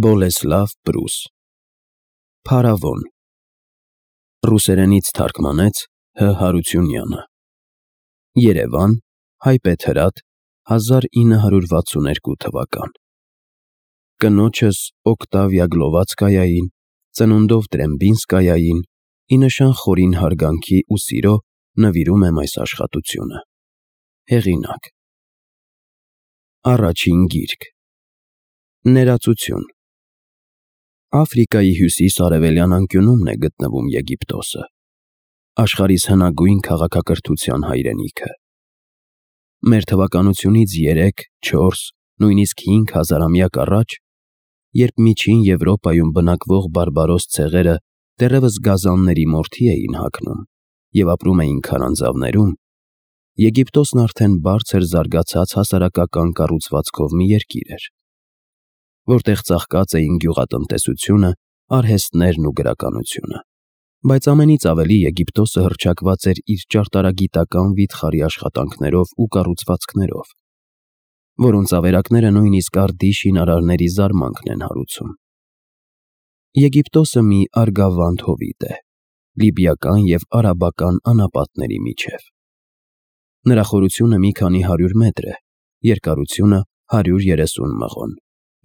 Բոլեսլավ Պրուս Փարավոն Ռուսերենից թարգմանեց Հ. Հարությունյանը Երևան Հայբեթրատ 1962 թվական Կնոջս Օկտավիա Գլովացկայային ծնունդով Տրեմբինսկայային ի նշան խորին հարգանքի ու սիրո նվիրում եմ այս աշխատությունը Հեղինակ Առաջին գիրք Ներածություն Աֆրիկայի հյուսիս-արևելյան անկյունումն է գտնվում Եգիպտոսը, աշխարհիս հնագույն քաղաքակրթության հայրենիքը։ Մեր թվականությունից 3, 4, նույնիսկ 5000-ամյակ առաջ, երբ միջին Եվրոպայում բնակվող բարբարոս ցեղերը դեռևս գազանների մորթի էին հագնում և ապրում էին քարանձավներում, Եգիպտոսն արդեն բարձր զարգացած հասարակական կառուցվածքով մի երկիր էր, որտեղ ծաղկած էին գյուղատնտեսությունը, արհեստներն ու գրականությունը, բայց ամենից ավելի Եգիպտոսը հռչակված էր իր ճարտարագիտական վիթխարի աշխատանքներով ու կառուցվածքներով, որոնց ավերակները նույնիսկ արդի շինարարների զարմանքն են հարուցում։ Եգիպտոսը մի արգավանդ հովիտ է, լիբիական և արաբական անապատների միջև։ Նրա խորությունը մի քանի 100 մետր է, երկարությունը 130 մղոն,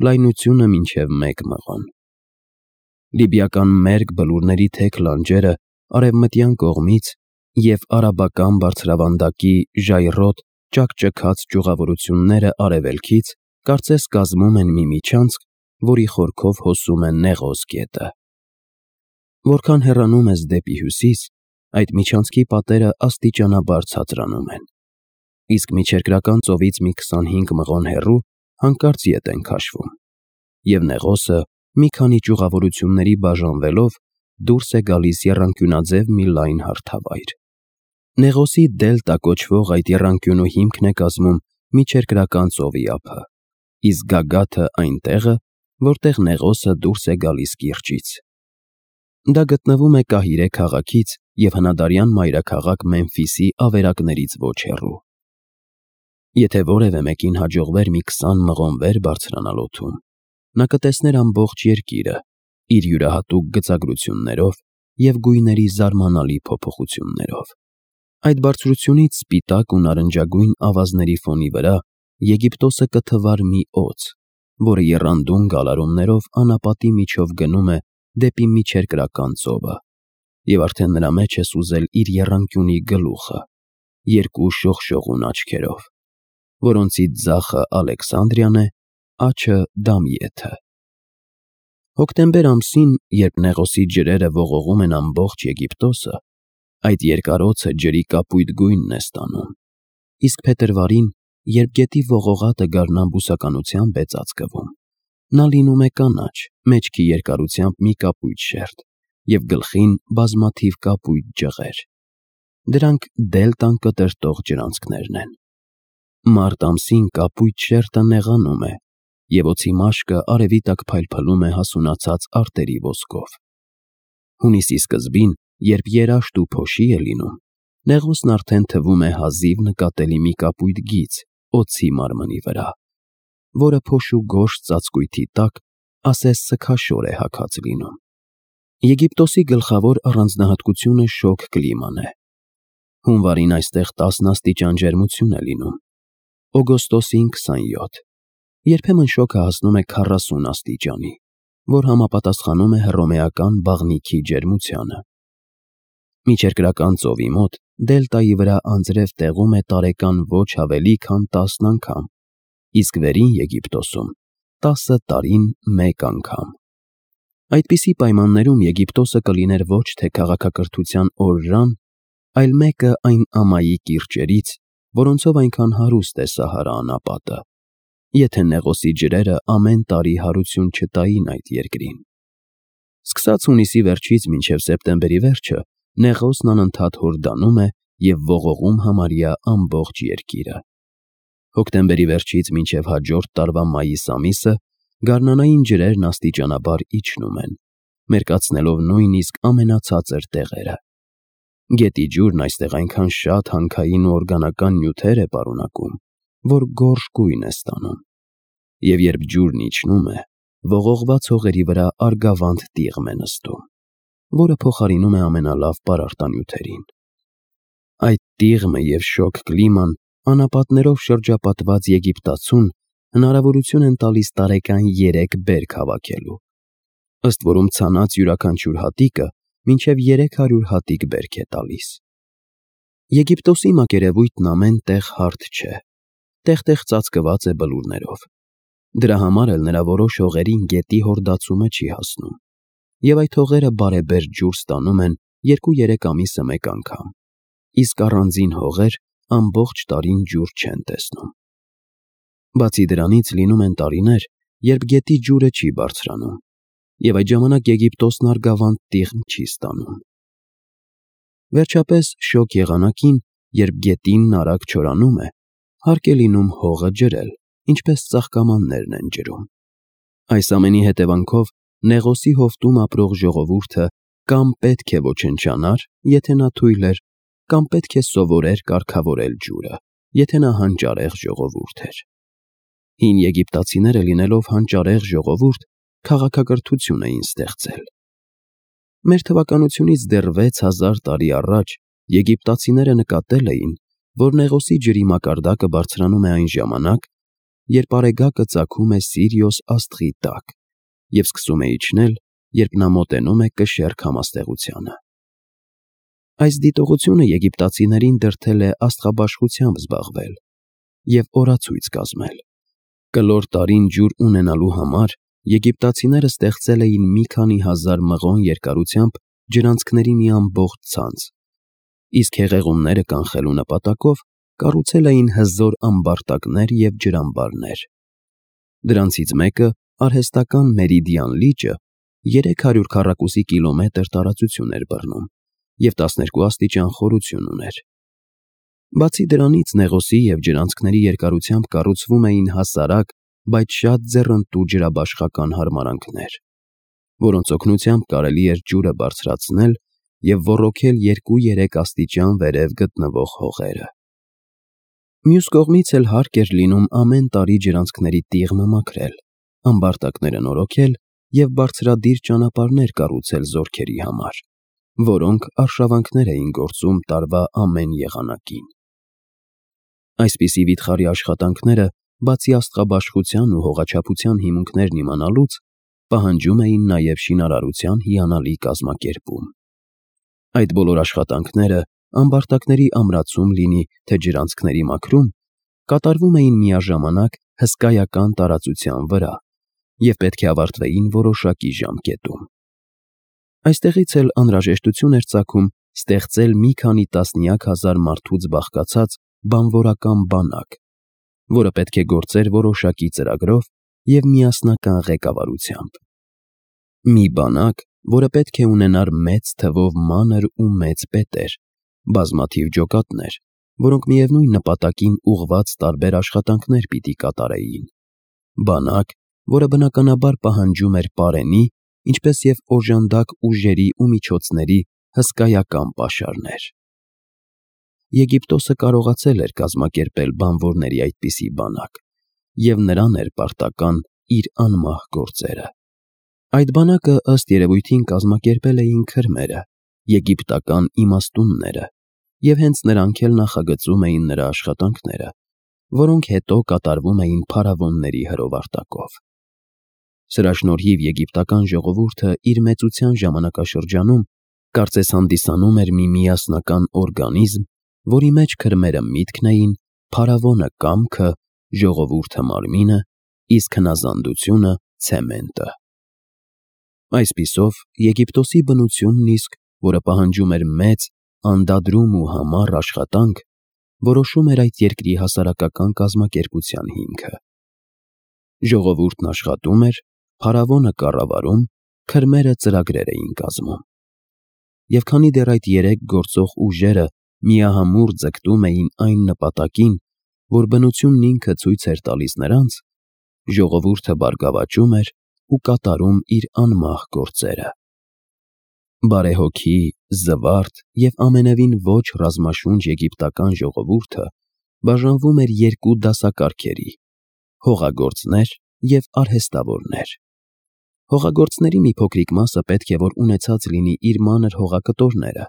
լայնությունը մինչև 1 մղոն։ Լիբիական մերկ բլուրների թեք լանջերը արևմտյան կողմից և արաբական բարձրավանդակի ժայռոտ ճաքճքած ճյուղավորությունները արևելքից կարծես կազմում են մի միջանցք, որի խորքով հոսում է Նեղոս գետը։ Որքան հեռանում ես դեպի հյուսիս, այդ միջանցքի պատերը աստիճանաբար ցածրանում են, իսկ միջերկրական ծովից մի 25 մղոն հեռու հանկարծ ետ են քաշվում, և Նեղոսը մի քանի ճյուղավորությունների բաժանվելով դուրս է գալիս եռանկյունաձև մի լայն հարթավայր։ Նեղոսի դելտա կոչվող այդ եռանկյունու հիմքն է կազմում միջերկրական ծովի ափը, իսկ գագաթը այն տեղը, որտեղ Նեղոսը դուրս է գալիս կիրճից։ Դա գտնվում է Կահիրե քաղաքից և հնադարյան մայրաքաղաք Մեմֆիսի ավերակներից ոչ հեռու։ Եթե որևէ մեկին հաջողվեր մի 20 մղոն վեր բարձրանալ օդում, նա կտեսներ ամբողջ երկիրը իր յուրահատուկ գծագրություններով և գույների զարմանալի փոփոխություններով։ Այդ բարձրությունից սպիտակ ու նարնջագույն ավազների ֆոնի վրա Եգիպտոսը կթվար մի օձ, որը եռանդուն գալարումներով անապատի միջով գնում է դեպի միջերկրական ծովը, և արդեն նրա մեջ ես ուզել իր եռանկյունի գլուխը, երկու շողշողուն աչքերով, որոնցից ձախը Ալեքսանդրիան է, աջը Դամիեթը։ Հոկտեմբեր ամսին, երբ Նեղոսի ջրերը ողողում են ամբողջ Եգիպտոսը, այդ երկարոցը ջրի կապույտ գույնն է ստանում, իսկ փետրվարին, երբ գետի ողողատը գարնան-բուսականությամբ է ծածկվում, նա լինում է կանաչ, մեջքի երկարությամբ մի կապույտ շերտ և գլխին բազմաթիվ կապույտ ջղեր։ Դրանք դելտան կտրտող ջրանցքներն են։ Մարտ ամսին կապույտ շերտը նեղանում է, և օձի մաշկը արևի տակ փայլփլում է հասունացած արտերի ոսկով։ Հունիսի սկզբին, երբ երաշտ ու փոշի է լինում, Նեղոսն արդեն թվում է հազիվ նկատելի մի կապույտ գիծ օձի մարմնի վրա, որը փոշու գորշ ծածկույթի տակ ասես սգաշոր է հագած լինում։ Եգիպտոսի գլխավոր առանձնահատկությունը շոգ կլիման է։ Հունվարին այստեղ 10 աստիճան ջերմություն է լինում, օգոստոսին 27, երբեմն շոգը հասնում է 40 աստիճանի, որ համապատասխանում է հռոմեական բաղնիքի ջերմությանը։ Միջերկրական ծովի մոտ դելտայի վրա անձրև տեղում է տարեկան ոչ ավելի քան 10 անգամ, իսկ Վերին Եգիպտոսում 10 տարին մեկ անգամ։ Այդպիսի պայմաններում Եգիպտոսը կլիներ ոչ թե քաղաքակրթության օրրան, այլ մեկը այն ամայի կիրճերից, որոնցով այնքան հարուստ է Սահարա անապատը, եթե Նեղոսի ջրերը ամեն տարի հարություն չտային այդ երկրին։ Սկսած հունիսի վերջից մինչև սեպտեմբերի վերջը Նեղոսն անընդհատ հորդանում է և ողողում համարյա ամբողջ երկիրը։ Հոկտեմբերի վերջից մինչև հաջորդ տարվա մայիս ամիսը գարնանային ջրերն աստիճանաբար իջնում են, մերկացնելով նույնիսկ ամենացածր տեղերը։ Գետի ջուրն այստեղ այնքան շատ հանքային ու օրգանական նյութեր է պարունակում, որ գորշ գույն է ստանում, և երբ ջուրն իջնում է, ողողված հողերի վրա արգավանդ տիղմ է նստում, որը փոխարինում է ամենալավ պարարտանյութերին։ Այդ տիղմը և շոգ կլիման անապատներով շրջապատված Եգիպտացուն հնարավորություն են տալիս տարեկան 3 բերք հավաքելու, ըստ որում ցանած յուրաքանչյուր հատիկը մինչև 300 հատիկ բերք է տալիս։ Եգիպտոսի մակերևույթն ամեն տեղ հարթ չէ, տեղ-տեղ ծածկված է բլուրներով։ Դրա համար էլ նրա որոշ հողերին գետի հորդացումը չի հասնում, և այդ հողերը բարեբեր ջուր ստանում են 2-3 ամիսը մեկ անգամ, իսկ առանձին հողեր ամբողջ տարին ջուր չեն տեսնում։ Բացի դրանից լինում են տարիներ, երբ գետի ջուրը չի բարձրանում, և այդ ժամանակ Եգիպտոսն արգավանդ տիղմ չի ստանում։ Վերջապես, շոգ եղանակին, երբ գետինն արագ չորանում է, հարկ է լինում հողը ջրել, ինչպես ծաղկամաններն են ջրում։ Այս ամենի հետևանքով Նեղոսի հովտում ապրող ժողովուրդը կամ պետք է ոչնչանար, եթե նա թույլ էր, կամ պետք է սովորեր կարգավորել ջուրը, եթե նա հանճարեղ ժողովուրդ էր։ Հին եգիպտացիները լինելով հանճարեղ ժողովուրդ, քաղաքակրթություն էին ստեղծել։ Մեր թվականությունից դեռ 6000 տարի առաջ եգիպտացիները նկատել էին, որ Նեղոսի ջրի մակարդակը բարձրանում է այն ժամանակ, երբ արեգակը ծագում է Սիրիոս աստղի տակ և սկսում է իջնել, երբ նա մոտենում է կշեռք համաստեղությանը։ Այս դիտողությունը եգիպտացիներին դրդել է աստղաբաշխությամբ զբաղվել և օրացույց կազմել։ Կլոր տարին ջուր ունենալու համար եգիպտացիները ստեղծել էին մի քանի հազար մղոն երկարությամբ ջրանցքների մի ամբողջ ցանց, իսկ հեղեղումները կանխելու նպատակով կառուցել էին հզոր ամբարտակներ և ջրամբարներ։ Դրանցից մեկը, արհեստական Մերիդիան լիճը, 300 քառակուսի կիլոմետր տարածություն էր բռնում և 12 աստիճան խորություն ուներ։ Բացի դրանից Նեղոսի և ջրանցքների երկարությամբ կառուցվում էին հասարակ, բայց շատ ձեռնտու ջրաբաշխական հարմարանքներ, որոնց օգնությամբ կարելի էր ջուրը բարձրացնել և ոռոգել 2-3 աստիճան վերև գտնվող հողերը։ Մյուս կողմից էլ հարկ էր լինում ամեն տարի ջրանցքների տիղմը մաքրել, ամբարտակները նորոգել և բարձրադիր ճանապարհներ կառուցել զորքերի համար, որոնք արշավանքներ էին գործում տարվա ամեն եղանակին։ Այսպիսի վիթխարի աշխատանքները, բացի աստղաբաշխության ու հողաչափության հիմունքներն իմանալուց, պահանջում էին նաև շինարարության հիանալի կազմակերպում։ Այդ բոլոր աշխատանքները, ամբարտակների ամրացում լինի, թե ջրանցքների մաքրում, կատարվում էին միաժամանակ հսկայական տարածության վրա և պետք է ավարտվեին որոշակի ժամկետում։ Այստեղից էլ անհրաժեշտություն էր ծագում ստեղծել մի քանի տասնյակ հազար մարդուց բաղկացած բանվորական բանակ, որը պետք է գործեր որոշակի ծրագրով և միասնական ղեկավարությամբ։ Մի բանակ, որը պետք է ունենար մեծ թվով մանր ու մեծ պետեր, բազմաթիվ ջոկատներ, որոնք միևնույն նպատակին ուղղված տարբեր աշխատանքներ պիտի կատարեին։ Բանակ, որը բնականաբար պահանջում էր պարենի, ինչպես և օժանդակ ուժերի ու միջոցների հսկայական պաշարներ։ Եգիպտոսը կարողացել էր կազմակերպել բանվորների այդպիսի բանակ, և նրան էր պարտական իր անմահ գործերը։ Այդ բանակը ըստ երևույթին կազմակերպել էին քրմերը, եգիպտական իմաստունները, և հենց նրանք էլ նախագծում էին նրա աշխատանքները, որոնք հետո կատարվում էին փարավոնների հրովարտակով։ Սրա շնորհիվ եգիպտական ժողովուրդը իր մեծության ժամանակաշրջանում կարծես հանդիսանում էր մի միասնական օրգանիզմ, որի մեջ քրմերը միտքն էին, փարավոնը կամքը, ժողովուրդը մարմինը, իսկ հնազանդությունը ցեմենտը։ Այսպիսով, Եգիպտոսի բնությունն իսկ, որը պահանջում էր մեծ, անդադրում ու համառ աշխատանք, որոշում էր այդ երկրի հասարակական կազմակերպության հիմքը։ Ժողովուրդն աշխատում էր, փարավոնը կառավարում, քրմերը ծրագրեր էին կազմում։ Եվ քանի դեռ այդ 3 գործող ուժերը միահամուռ ձգտում էին այն նպատակին, որ բնությունն ինքը ցույց էր տալիս նրանց, ժողովուրդը բարգավաճում էր ու կատարում իր անմահ գործերը։ Բարեհոգի, զվարթ և ամենևին ոչ ռազմաշունչ եգիպտական ժողովուրդը բաժանվում էր 2 դասակարգերի՝ հողագործներ և արհեստավորներ։ Հողագործների մի փոքրիկ մասը պետք է որ ունեցած լինի իր մանր հողակտորները,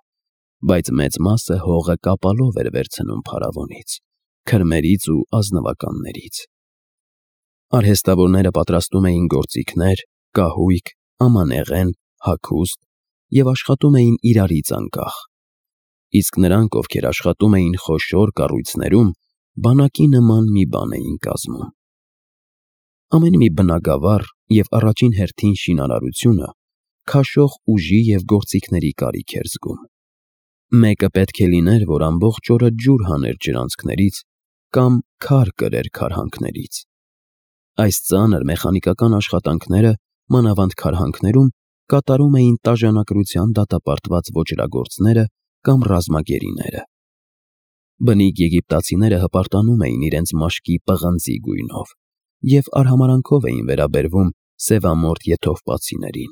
բայց մեծ մասը հողը կապալով էր վերցնում փարավոնից, քրմերից ու ազնվականներից։ Արհեստավորները պատրաստում էին գործիքներ, կահույք, ամանեղեն, հագուստ և աշխատում էին իրարից անկախ, իսկ նրանք, ովքեր աշխատում էին խոշոր կառույցներում, բանակի նման մի բան էին կազմում։ Ամեն մի բնագավառ և առաջին հերթին շինարարությունը քաշող ուժի և գործիքների կարիք էր զգում։ Մեկը պետք է լիներ, որ ամբողջ օրը ջուր հաներ ջրանցքներից կամ քար կրեր քարհանքներից։ Այս ծանր մեխանիկական աշխատանքները, մանավանդ քարհանքներում, կատարում էին տաժանակրության դատապարտված ոճրագործները կամ ռազմագերիները։ Բնիկ եգիպտացիները հպարտանում էին իրենց մաշկի պղնձի գույնով և արհամարհանքով էին վերաբերվում սևամորթ եթովպացիներին,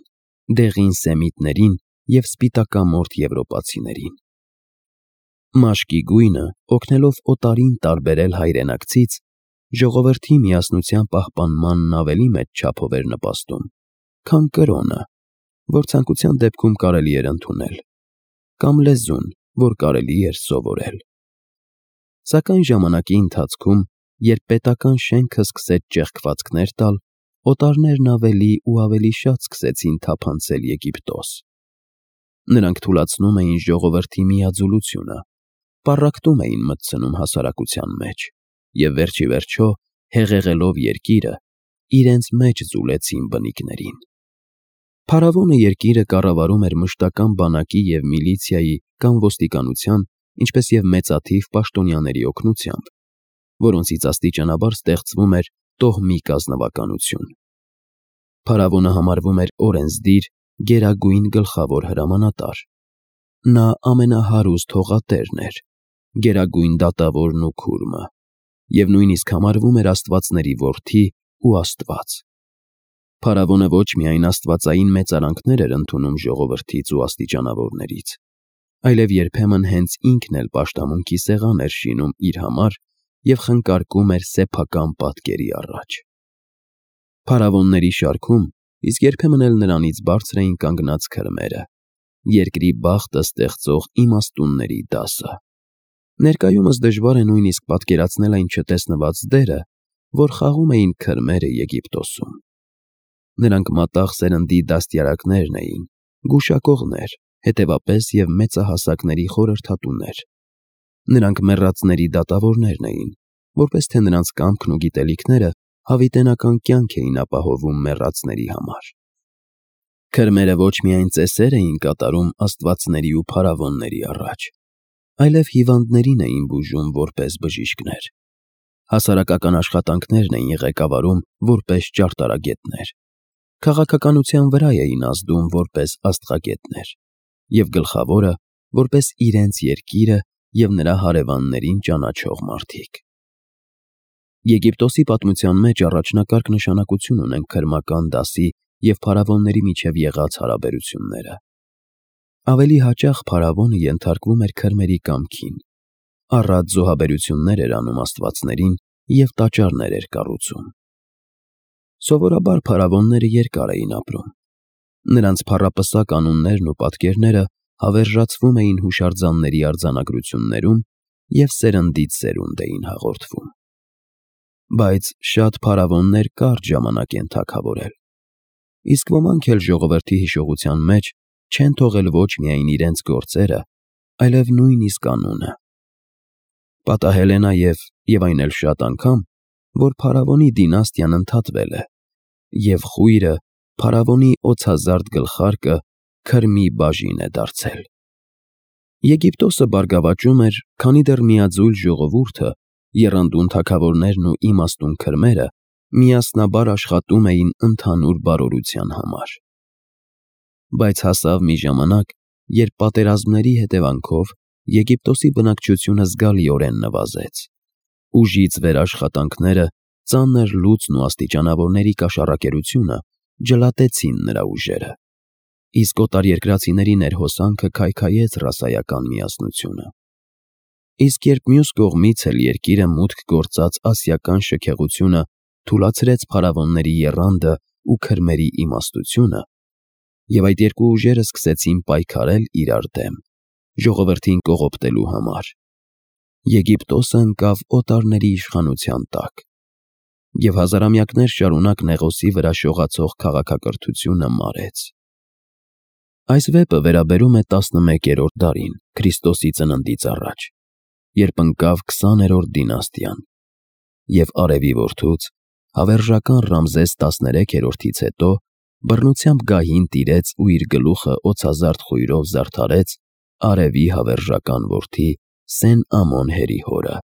դեղին սեմիտներին և սպիտակամորթ եվրոպացիներին։ Մաշկի գույնը, օգնելով օտարին տարբերել հայրենակցից, ժողովրդի միասնության պահպանմանն ավելի մեծ չափով էր նպաստում, քան կրոնը, որ ցանկության դեպքում կարելի էր ընդունել, կամ լեզուն, որ կարելի էր սովորել։ Սակայն ժամանակի ընթացքում, երբ պետական շենքը սկսեց ճեղքվածքներ տալ, օտարներն ավելի ու ավելի շատ սկսեցին թափանցել Եգիպտոս։ Նրանք թուլացնում էին ժողովրդի միաձուլությունը, պառակտում էին մտցնում հասարակության մեջ և վերջիվերջո, հեղեղելով երկիրը, իրենց մեջ ձուլեցին բնիկներին։ Փարավոնը երկիրը կառավարում էր մշտական բանակի և միլիցիայի կամ ոստիկանության, ինչպես և մեծաթիվ պաշտոնյաների օգնությամբ, որոնցից աստիճանաբար ստեղծվում էր տոհմի կազմակերպություն։ Փարավոնը համարվում էր օրենսդիր, գերագույն գլխավոր հրամանատար։ Նա ամենահարուստ հողատերն էր, գերագույն դատավորն ու քուրմը, և նույնիսկ համարվում էր աստվածների որդի ու աստված։ Փարավոնը ոչ միայն աստվածային մեծարանքներ էր ընդունում ժողովրդից ու աստիճանավորներից, այլև երբեմն հենց ինքն էլ պաշտամունքի սեղան էր շինում իր համար և խնկարկում էր սեփական պատկերի առաջ։ Փարավոնների շարքում, իսկ երբեմն էլ նրանից բարձր էին կանգնած քրմերը, երկրի բախտը ստեղծող իմաստունների դասը։ Ներկայումս դժվար է նույնիսկ պատկերացնել այն չտեսնված դերը, որ խաղում էին քրմերը Եգիպտոսում։ Նրանք մատաղ սերնդի դաստիարակներն էին, գուշակողներ, հետևապես և մեծահասակների խորհրդատուներ։ Նրանք մեռածների դատավորներն էին, որպես թե նրանց կամքն ու գիտելիքները հավիտենական կյանք էին ապահովում մեռածների համար։ Քրմերը ոչ միայն ծեսեր էին կատարում աստվածների ու փարավոնների առաջ, այլև հիվանդներին էին բուժում որպես բժիշկներ։ Հասարակական աշխատանքներն էին ղեկավարում որպես ճարտարագետներ, քաղաքականության վրա էին ազդում որպես աստղագետներ, և գլխավորը որպես իրենց երկիրը և նրա հարևաններին ճանաչող մարդիկ։ Եգիպտոսի պատմության մեջ առաջնակարգ նշանակություն ունեն քրմական դասի և փարավոնների միջև եղած հարաբերությունները։ Ավելի հաճախ փարավոնը ենթարկվում էր քրմերի կամքին, առատ զոհաբերություններ էր անում աստվածներին և տաճարներ էր կառուցում։ Սովորաբար փարավոնները երկար էին ապրում։ Նրանց փառապսակ անուններն ու պատկերները հավերժացվում էին հուշարձանների արձանագրություններում և սերնդից սերունդ էին հաղորդվում։ Բայց շատ փարավոններ կարճ ժամանակ են թագավորել, իսկ ոմանք էլ ժողովրդի հիշողության մեջ չեն թողել ոչ միայն իրենց գործերը, այլև նույնիսկ անունը։ Պատահել է նաև, և այն էլ շատ անգամ, որ փարավոնի դինաստիան ընդհատվել է, և խույրը, փարավոնի օձազարդ գլխարկը քրմի բաժին է դարձել։ Եգիպտոսը բարգավաճում էր, քանի դեռ միաձույլ ժողովուրդը, եռանդուն թագավորներն ու իմաստուն քրմերը միասնաբար աշխատում էին ընդհանուր բարօրության համար։ Բայց հասավ մի ժամանակ, երբ պատերազմների հետևանքով Եգիպտոսի բնակչությունը զգալիորեն նվազեց։ Ուժից վեր աշխատանքները, ծանր լուծն ու աստիճանավորների կաշառակերությունը ջլատեցին նրա ուժերը, իսկ օտարերկրացիների ներհոսանքը քայքայեց ռասայական միասնությունը։ Իսկ երբ մյուս կողմից էլ երկիրը մուտք գործած ասիական շքեղությունը թուլացրեց փարավոնների եռանդը ու քրմերի իմաստությունը, և այդ երկու ուժերը սկսեցին պայքարել իրար դեմ, ժողովրդին կողոպտելու համար։ Եգիպտոսը ընկավ օտարների իշխանության տակ, և հազարամյակներ շարունակ Նեղոսի վրա շողացող քաղաքակրթությունը մարեց։ Այս վեպը վերաբերում է 11-րդ դարին Քրիստոսի ծննդից առաջ, երբ ընկավ 20-րդ դինաստիան, և արևի որդուց, հավերժական Ռամզես 13-ից հետո բռնությամբ գահին տիրեց ու իր գլուխը օձազարդ խույրով զարդարեց արևի հավերժական որդի Սեն Ամոն հերի հորը,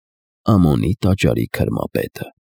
Ամոնի տաճարի քրմապետը։